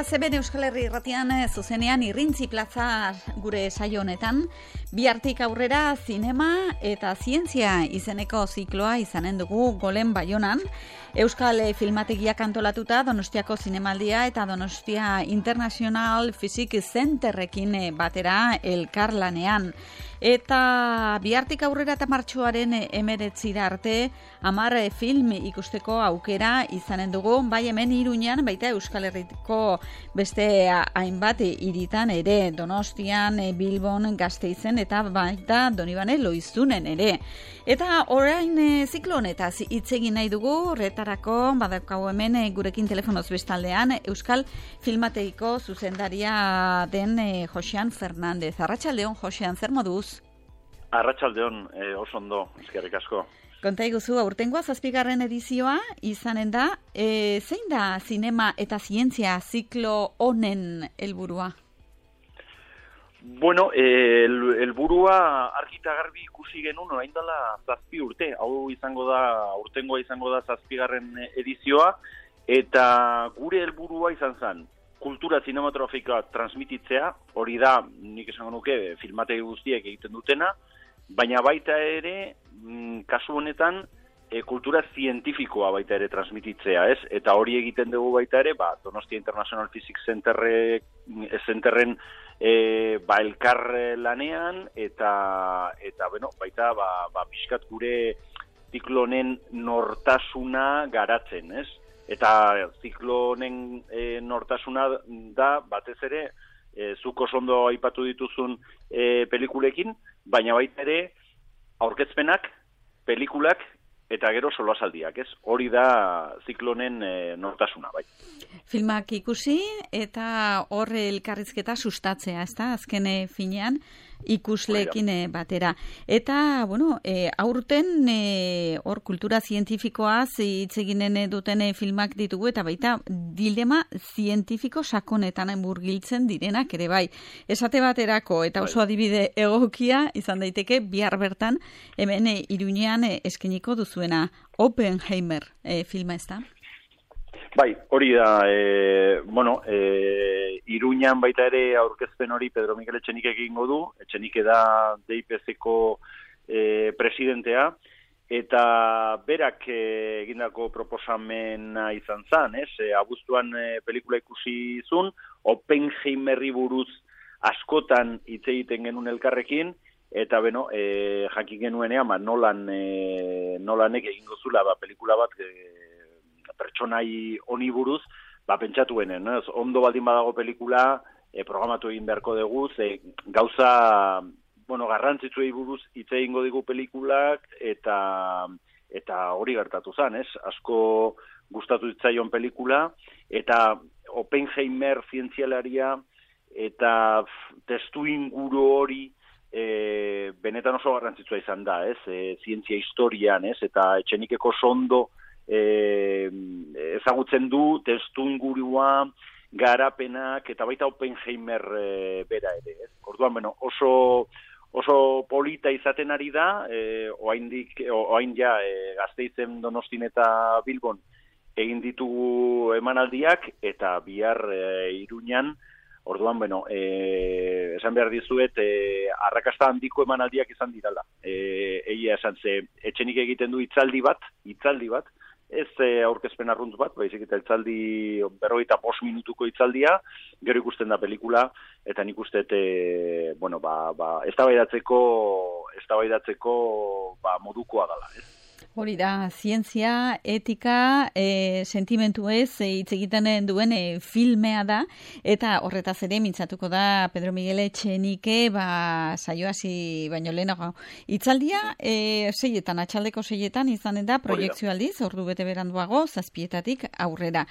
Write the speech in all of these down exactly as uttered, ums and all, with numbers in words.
zeben Euskal Herri irratian zuzenean Irrintzi Plaza gure saio honetan, bihartik aurrera zinema eta zientzia izeneko zikloa izanen dugu Golen Baionan, Euskal Filmategiak antolatuta Donostiako Zinemaldia eta Donostia International Physics Centerrekin batera elkarlanean. Eta bihartik aurrera eta martxoaren emeretzira arte hamar film ikusteko aukera izanen dugu, bai hemen Iruñan, baita Euskal Herriko beste hainbat hiritan ere, Donostian, Bilbon, Gasteizen eta baita Donibane Loizunen ere. Eta orain ziklo honetaz hitz egin nahi dugu, horretarako badaukagu hemen gurekin telefonoz bestaldean Euskal Filmategiko zuzendaria den Josean Fernandez. Arratsaldeon, Josean, zer moduz? Arratsaldeon, eh, oso ondo, eskerrik asko. Konta iguzu, aurtengoa zazpigarren edizioa izanen da, e, zein da zinema eta zientzia ziklo honen helburua? Bueno, el, helburua argita garbi ikusi genuen orain dela zazpi urte, hau izango da, aurtengoa izango da zazpigarren edizioa, eta gure helburua izan zen, kultura zinematografikoa transmititzea, hori da, nik esango nuke, filmategi guztiek egiten dutena, baina baita ere, kasu honetan, e, kultura zientifikoa baita ere transmititzea, ez? Eta hori egiten dugu baita ere, ba, Donostia International Physics Centerre, Centerren e, ba, elkar lanean, eta, eta bueno, baita, ba, ba, pixkat gure ziklonen nortasuna garatzen, ez? Eta ziklonen e, nortasuna da, batez ere, e, zuko ondo aipatu dituzun e, pelikulekin, baina baita ere, aurkezpenak, pelikulak, eta gero solasaldiak, ez? Hori da ziklonen e, nortasuna, bai. Filmak ikusi eta horre elkarrizketa sustatzea, ez da? Azken finean ikusleekin batera. Eta, bueno, e, aurten e, hor kultura zientifikoaz hitz eginen duten filmak ditugu, eta baita dilema zientifiko sakonetan murgiltzen direnak ere bai. Esate baterako, eta oso adibide egokia izan daiteke bihar bertan hemen e, Iruñean e, eskeniko duzuena Oppenheimer e, filma, ez da? Bai, hori da, e, bueno, e, Iruñan baita ere aurkezpen hori Pedro Mikel Etxenike egingo du, Etxenike da D I P C-ko e, presidentea, eta berak e, egindako proposamena izan zen, ez? E, abuztuan e, pelikula ikusi zun, Oppenheimerri buruz askotan hitz egiten genuen elkarrekin, eta beno, e, jakin genuenean, ba, nolan, e, nolanek egingo zula ba, pelikula bat e, pertsonai honi buruz, ba, pentsatuenen, ez? Ondo baldin badago pelikula, e, programatu egin beharko dugu, ze gauza, bueno, garrantzitsuei buruz hitz egingo digu pelikulak, eta eta hori gertatu zen, ez? Asko gustatu zitzaion pelikula, eta Oppenheimer zientzialaria, eta testu inguru hori, e, benetan oso garrantzitsua izan da, ez? E, zientzia historian, ez? Eta Etxenikeko sondo, E, ezagutzen du testuingurua, garapenak eta baita Oppenheimer e, bera ere, ez? Orduan, bueno, oso oso polita izaten ari da, e, oaindik oain ja e, Gasteizen, Donostin eta Bilbon egin ditugu emanaldiak, eta bihar e, Iruñan, orduan, bueno, e, esan behar dizuet, e, arrakasta handiko emanaldiak izan dirala. E, egia esan ze, Etxenik egiten du hitzaldi bat, hitzaldi bat, ez e, aurkezpen arruntz bat, baizik eta hitzaldi berrogeita bost minutuko hitzaldia, gero ikusten da pelikula, eta nik uste, e, bueno, ba, ba, eztabaidatzeko, eztabaidatzeko ba, modukoa dela, ez? Hori da, zientzia, etika, e, sentimentu ez, hitz e, egiten duen e, filmea da, eta horretaz ere mintzatuko da Pedro Miguel Etxenike, ba, saio hasi baino lehenago. Hitzaldia, e, seietan, atxaldeko seietan izanen da, proiektzio aldiz, ordu bete beranduago, zazpietatik aurrera.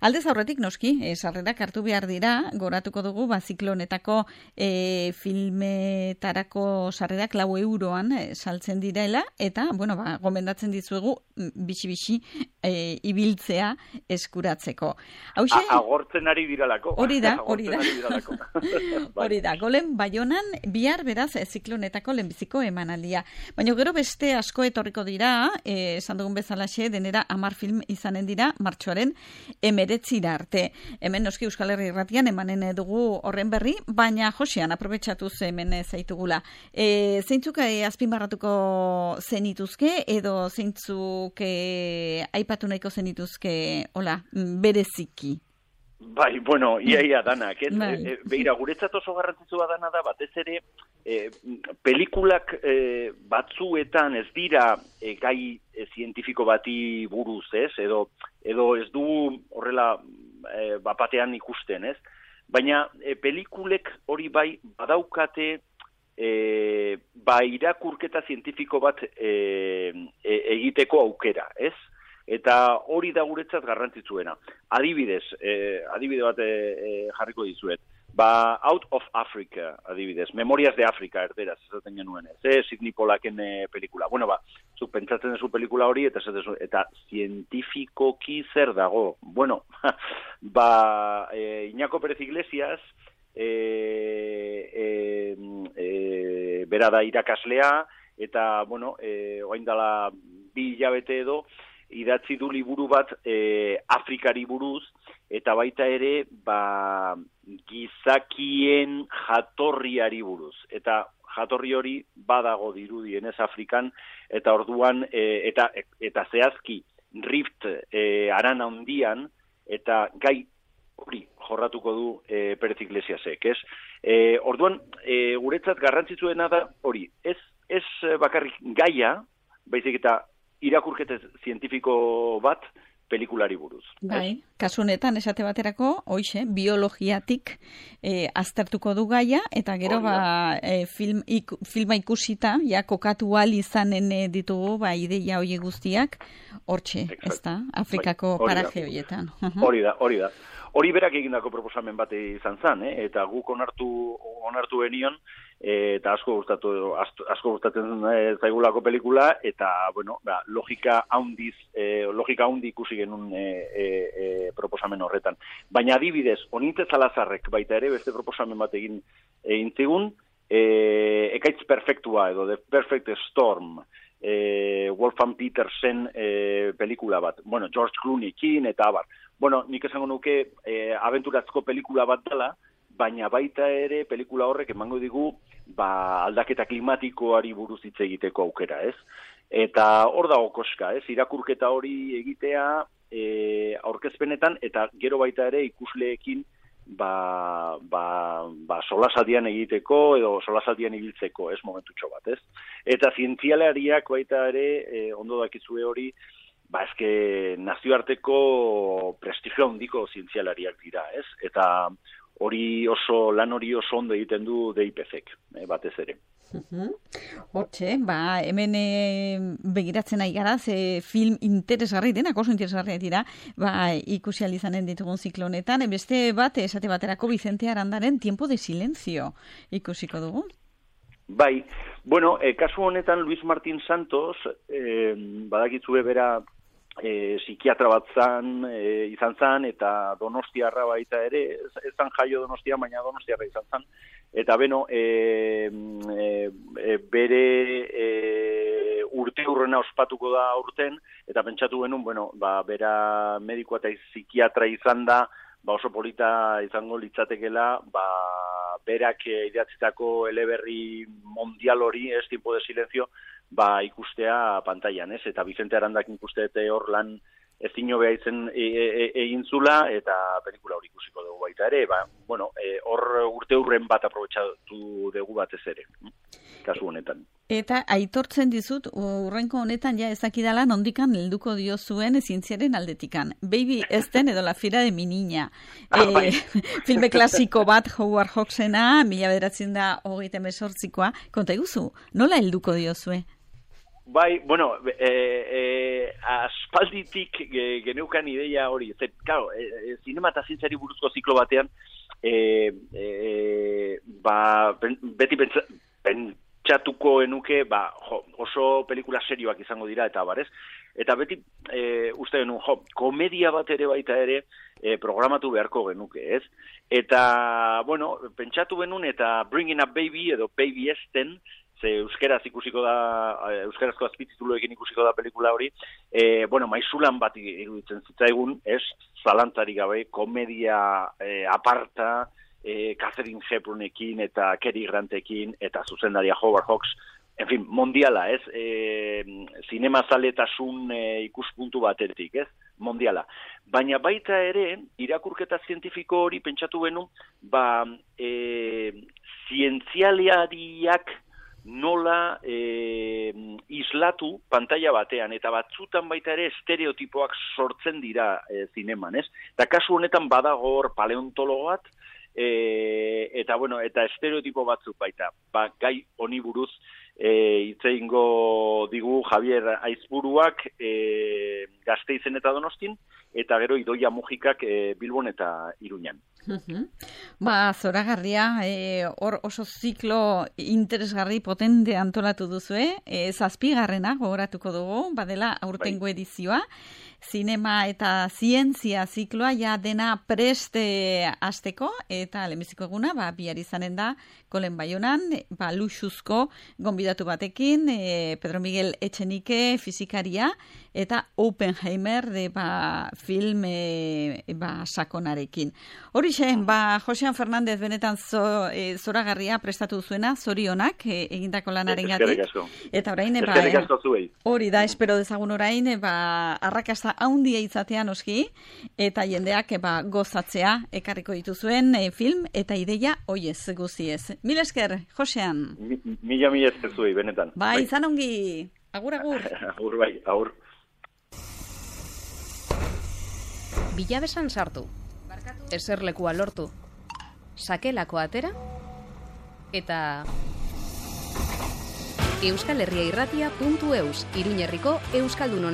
Aldez aurretik noski, e, sarrerak hartu behar dira, goratuko dugu, ba, ziklonetako e, filmetarako sarrerak lau euroan e, saltzen direla, eta, bueno, ba, gomendatzen dizuegu bixi-bixi e, ibiltzea eskuratzeko. Hauxe, agortzen ari diralako. Hori da, hori da. Hori da, Golen Baionan bihar beraz ziklonetako lehenbiziko emanaldia. Baina gero beste asko etorriko dira, eh, esan dugun bezalaxe, denera hamar film izanen dira martxoaren emeretzira arte. Hemen noski Euskal Herri Irratian emanen dugu horren berri, baina Josean aprobetxatuz hemen zaitugula. E, zeintzuk e, azpimarratuko zenituzke edo zeintzuk e, aipatu nahiko zenituzke, hola, bereziki? Bai, bueno, ia ia danak, ez? Bai. E, beira, guretzat oso garrantzitsua dana da, batez ere, e, pelikulak e, batzuetan ez dira e, gai e, zientifiko bati buruz, ez? Edo, edo ez du horrela e, bapatean ikusten, ez? Baina e, pelikulek hori bai badaukate e, ba irakurketa zientifiko bat e, e, egiteko aukera, ez? Eta hori da guretzat garrantzitsuena. Adibidez, eh, adibide bat eh, jarriko dizuet. Ba, Out of Africa, adibidez. Memorias de Africa, erderaz, esaten genuen ez. Eh? Sidney Pollacken eh, pelikula. Bueno, ba, zuk pentsatzen dezu pelikula hori, eta, eta zientifikoki zer dago. Bueno, ba, eh, Iñako Pérez Iglesias, eh, eh, eh, bera da irakaslea, eta, bueno, eh, oain dala bi hilabete edo, idatzi du liburu bat e, Afrikari buruz, eta baita ere ba, gizakien jatorriari buruz. Eta jatorri hori badago dirudienez Afrikan, eta orduan, e, eta, eta zehazki Rift e, arana handian, eta gai hori jorratuko du e, Pérez Iglesiasek, ez? E, orduan, e, guretzat garrantzitsuena da hori, ez, ez bakarrik gaia, baizik eta irakurketa zientifiko bat pelikulari buruz. Bai, kasu honetan esate baterako, hoixe, biologiatik e, aztertuko du gaia, eta gero ba, e, film, ik, filma ikusita, ja, kokatu al izanen ditugu, ba, ideia hori guztiak, hortxe, ez da, Afrikako bai, paraje horietan. Hori da, hori da. Hori berak egindako proposamen bat izan zen, eh? Eta guk onartu onartu benion, eta asko gustatu asko gustatzen zaigulako pelikula, eta bueno, ba, logika handiz, eh, logika handi ikusi genuen eh, eh, proposamen horretan. Baina adibidez, Onintze Salazarrek baita ere beste proposamen bat egin egin zigun, eh, ekaitz perfektua edo The Perfect Storm, eh, Wolfgang Petersen eh, pelikula bat. Bueno, George Clooneykin eta abar. Bueno, nik esango nuke eh, abenturatzko pelikula bat dela, baina baita ere pelikula horrek emango digu ba, aldaketa klimatikoari buruz hitz egiteko aukera, ez? Eta hor dago koska, ez? Irakurketa hori egitea e, aurkezpenetan, eta gero baita ere ikusleekin ba, ba, ba solasaldian egiteko edo solasaldian ibiltzeko, ez, momentutxo bat, ez? Eta zientzialariak baita ere, e, ondo dakizue hori, ba, eske nazioarteko prestigio handiko zientzialariak dira, ez? Eta hori oso, lan hori oso ondo egiten du D I P C-ek, eh, batez ere. Hortxe, ba, hemen e, begiratzen nahi gara, ze film interesgarri denak, oso interesgarriak dira, ba, ikusi alizanen ditugun ziklo honetan, beste bat, esate baterako Vicente Arandaren Tiempo de Silencio ikusiko dugu. Bai, bueno, e, kasu honetan Luis Martín Santos, e, badakitzue bera, E, psikiatra bat zan, e, izan zan, eta donostiarra baita ere, ez, ez zan jaio donostia, baina donostiarra izan zan. Eta beno, e, e, bere e, urte hurrena ospatuko da urten, eta pentsatu genuen, bueno, ba, bera medikoa eta psikiatra izan da, ba, oso polita izango litzatekela, ba, berak idatzitako eleberri mundial hori, ez, Tiempo de Silencio, ba ikustea pantailan, ez? Eta Vicente Arandak ikuste eta hor lan ezin hobea izen egin zula, eta pelikula hori ikusiko dugu baita ere, ba, bueno, hor e, urte hurren bat aprobetxatu dugu batez ere, kasu honetan. Eta aitortzen dizut, urrenko honetan ja ezakidala nondikan helduko dio zuen zientziaren aldetikan. Baby Esten edo La Fira de mi niña. Ah, e, bai. Filme klasiko bat, Howard Hawksena, mila bederatzen da hogeita hemezortzikoa. Konta iguzu, nola helduko dio zue? Bai, bueno, e, e, aspalditik geneukan ideia hori. Zer, claro, e, zinema eta zientziari buruzko ziklo batean, e, e, ba, beti pentsa, pen, pentsatuko enuke, ba, jo, oso pelikula serioak izango dira, eta barez, eta beti e, uste genuen, jo, komedia bat ere baita ere e, programatu beharko genuke, ez? Eta, bueno, pentsatu genuen, eta Bringing Up Baby, edo Baby Esten, ze euskeraz ikusiko da, euskerazko azpitituluekin ikusiko da pelikula hori, e, bueno, maizulan bat iruditzen zitzaigun, ez, zalantzarik gabe, komedia e, aparta, e, Catherine Hepburnekin eta Cary Grantekin, eta zuzendaria Howard Hawks, en fin, mondiala, ez, e, zinemazaletasun e, ikuspuntu batetik, ez, mondiala. Baina baita ere, irakurketa zientifiko hori pentsatu benu, ba, e, zientzialiariak nola e, islatu pantalla batean, eta batzutan baita ere estereotipoak sortzen dira e, zineman, ez? Eta kasu honetan badago hor paleontologo bat, e, eta bueno, eta estereotipo batzuk baita, ba, gai honi buruz e, itzeingo digu Javier Aizburuak e, Gasteizen eta Donostin, eta gero Idoia Mujikak e, Bilbon eta Iruñan. Uh-huh. Ba, zoragarria, e, hor oso ziklo interesgarri potente antolatu duzue, e, zazpigarrena gogoratuko dugu, badela aurtengo edizioa, zinema eta zientzia zikloa ja dena preste hasteko, eta lehenbiziko eguna, ba, bihar izanen da, Kolen Baionan, ba, luxuzko gonbidatu batekin, e, Pedro Miguel Etxenike, fizikaria, eta Oppenheimer, de, ba, film e, ba, sakonarekin. Hori ba, Josean Fernandez benetan zo, e, zoragarria prestatu zuena, zorionak e, egindako lanaren gatik. Eta orain, ba, e, hori da, espero dezagun orain, e, ba, arrakasta haundia izatea noski, eta jendeak e, ba, gozatzea ekarriko dituzuen e, film, eta ideia hoiez guziez. Mil esker, Josean. Mi, mila mila esker zuei, benetan. Ba, bai. Izan ongi. Agur, agur. Agur, bai, agur. Bilabesan sartu. Eserlekua lortu, sakelako atera, eta Euskal Herria Irratia puntu eus, Iruñerriko Euskaldunon